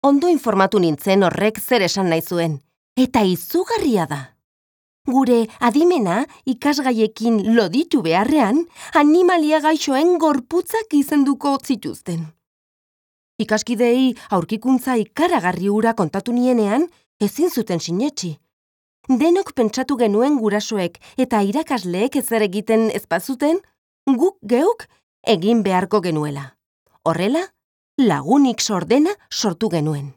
Ondo informatu nintzen horrek zer esan nahi zuen, eta izugarria da. Gure adimena ikasgaiekin loditu beharrean, animalia gaixoen gorputzak izenduko zituzten. Ikaskidei aurkikuntza ikaragarri hura kontatu nienean, ezin zuten sinetsi. Denok pentsatu genuen gurasoek eta irakasleek ezer egiten ez bazuten, guk geuk egin beharko genuela. Horrela, lagunik sordena sortu genuen.